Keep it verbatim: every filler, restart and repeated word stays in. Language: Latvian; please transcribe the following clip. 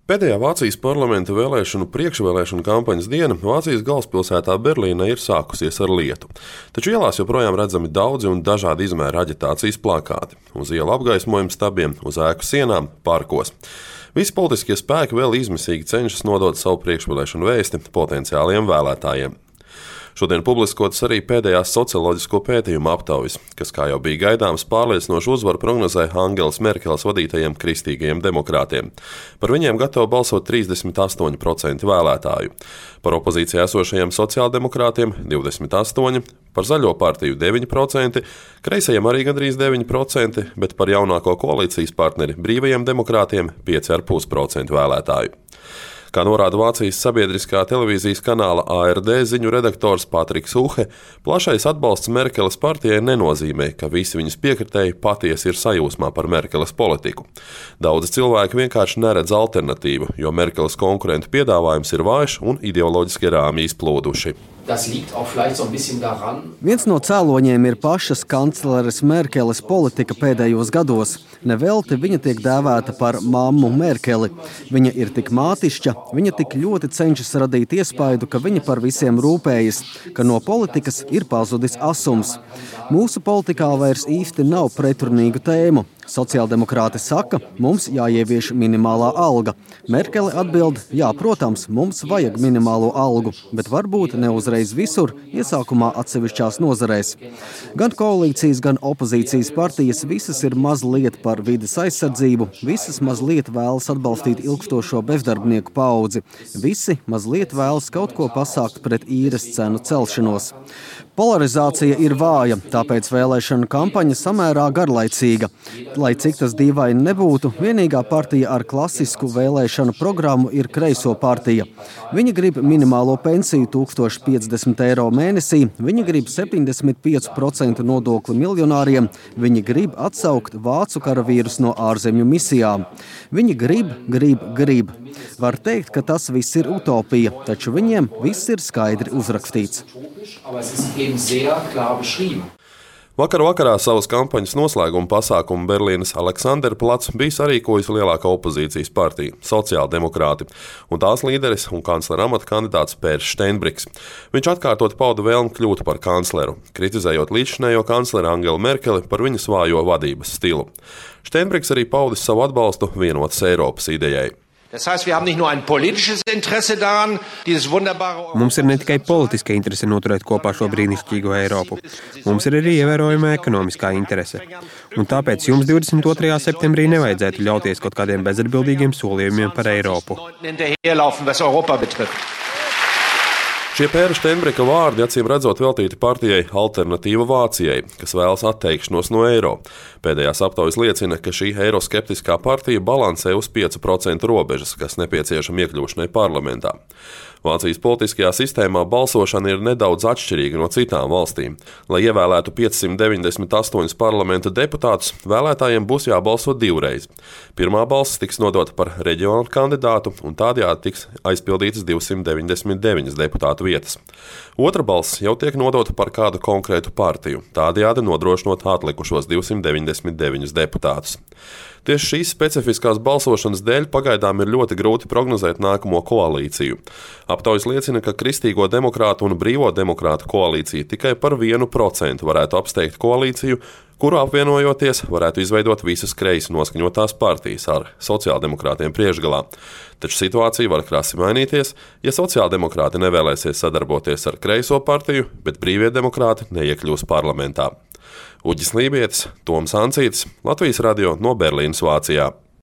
Pēdējā Vācijas parlamenta vēlēšanu priekšvēlēšanu kampaņas diena Vācijas galvaspilsētā Berlīnē ir sākusies ar lietu. Taču ielās joprojām redzami daudzi un dažādi izmēra aģitācijas plakāti. Uz ielu apgaismojumu stabiem, uz ēku sienām, parkos. Visi politiskie spēki vēl izmisīgi cenšas nodot savu priekšvēlēšanu vēsti potenciāliem vēlētājiem. Šodien publiskotas arī pēdējās socioloģisko pētījumu aptaujas, kas, kā jau bija gaidāms, pārliecinošu uzvaru prognozēja Angelas Merkeles vadītajiem kristīgajiem demokrātiem. Par viņiem gatavo balsot trīsdesmit astoņi procenti vēlētāju. Par opozīcijā esošajiem sociāldemokrātiem divdesmit astoņi procenti, par zaļo partiju deviņi procenti, kreisajiem arī gandrīz deviņi procenti, bet par jaunāko koalīcijas partneri brīvajiem demokrātiem pieci komats pieci procenti vēlētāju. Kā norāda Vācijas sabiedriskā televīzijas kanāla A R D ziņu redaktors Patriks Uhe, plašais atbalsts Merkeles partijai nenozīmē, ka visi viņas piekritēji patiesi ir sajūsmā par Merkeles politiku. Daudzi cilvēki vienkārši neredz alternatīvu, jo Merkeles konkurentu piedāvājums ir vājš un ideoloģiski rāmji izplūduši. Viens no cēloņiem ir pašas kancleres Merkeles politika pēdējos gados. Nevelti viņa tiek dēvēta par mammu Merkeli. Viņa ir tik mātišķa, viņa tik ļoti cenšas radīt iespaidu, ka viņa par visiem rūpējas, ka no politikas ir pazudis asums. Mūsu politikā vairs īsti nav pretrunīgu tēmu. Sociāldemokrāti saka, mums jāievieš minimālā alga. Merkele atbild, jā, protams, mums vajag minimālo algu, bet varbūt ne uzreiz visur, iesākumā atsevišķās nozarēs. Gan koalīcijas, gan opozīcijas partijas visas ir mazliet par vides aizsardzību, visas mazliet vēlas atbalstīt ilgstošo bezdarbnieku paudzi, visi mazliet vēlas kaut ko pasākt pret īres cenu celšanos. Polarizācija ir vāja, tāpēc vēlēšanu kampaņa samērā garlaicīga. Lai cik tas dīvaini nebūtu, vienīgā partija ar klasisku vēlēšanu programmu ir Kreiso partija. Viņi grib minimālo pensiju tūkstoš piecdesmit eiro mēnesī, viņi grib septiņdesmit pieci procenti nodokli miljonāriem, viņi grib atsaukt vācu karavīrus no ārzemju misijām. Viņi grib, grib, grib. Var teikt, ka tas viss ir utopija, taču viņiem viss ir skaidri uzrakstīts. Vakar vakarā savas kampaņas noslēguma pasākumu Berlīnes Aleksanderplats bija sarīkojusi lielākā opozīcijas partija – sociāldemokrāti, un tās līderis un kanclera amata kandidāts Pērs Steinbriks. Viņš atkārtot pauda vēlmi kļūt par kancleru, kritizējot līdzšinējo kancleru Angelu Merkeli par viņas vājo vadības stilu. Steinbriks arī paudis savu atbalstu vienotas Eiropas idejai. Mums ir ne tikai politiska interese noturēt kopā šo brīnišķīgo Eiropu. Mums ir arī ievērojama ekonomiskā interese. Un tāpēc jums divdesmit otrajā septembrī nevajadzētu ļauties kaut kādiem bezatbildīgiem solījumiem par Eiropu. Šie Pēra Steinbrika vārdi acīm redzot veltīti partijai Alternatīva Vācijai, kas vēlas atteikšanos no eiro. Pēdējās aptaujas liecina, ka šī eiroskeptiskā partija balansē uz pieci procenti robežas, kas nepieciešama iekļūšanai parlamentā. Vācijas politiskajā sistēmā balsošana ir nedaudz atšķirīga no citām valstīm. Lai ievēlētu piecsimt deviņdesmit astoņus parlamenta deputātus, vēlētājiem būs jābalso divreiz. Pirmā balss tiks nodota par reģionālu kandidātu, un tādējādi tiks aizpildītas divsimt deviņdesmit deviņas deputātu vietas. Otra balss jau tiek nodota par kādu konkrētu partiju, tādējādi nodrošinot atlikušos divsimt deviņdesmit deviņus deputātus. Tieši šīs specifiskās balsošanas dēļ pagaidām ir ļoti grūti prognozēt nākamo koalīciju. Aptaujas liecina, ka Kristīgo demokrātu un Brīvo demokrātu koalīcija tikai par vienu procentu varētu apsteigt koalīciju, kuru apvienojoties varētu izveidot visas kreisi noskaņotās partijas ar sociāldemokrātiem priekšgalā. Taču situācija var krasi mainīties, ja sociāldemokrāti nevēlēsies sadarboties ar Kreiso partiju, bet Brīvie demokrāti neiekļūs parlamentā. Uģis Lībietis, Toms Ancītis, Latvijas radio no Berlīnes, Vācijā.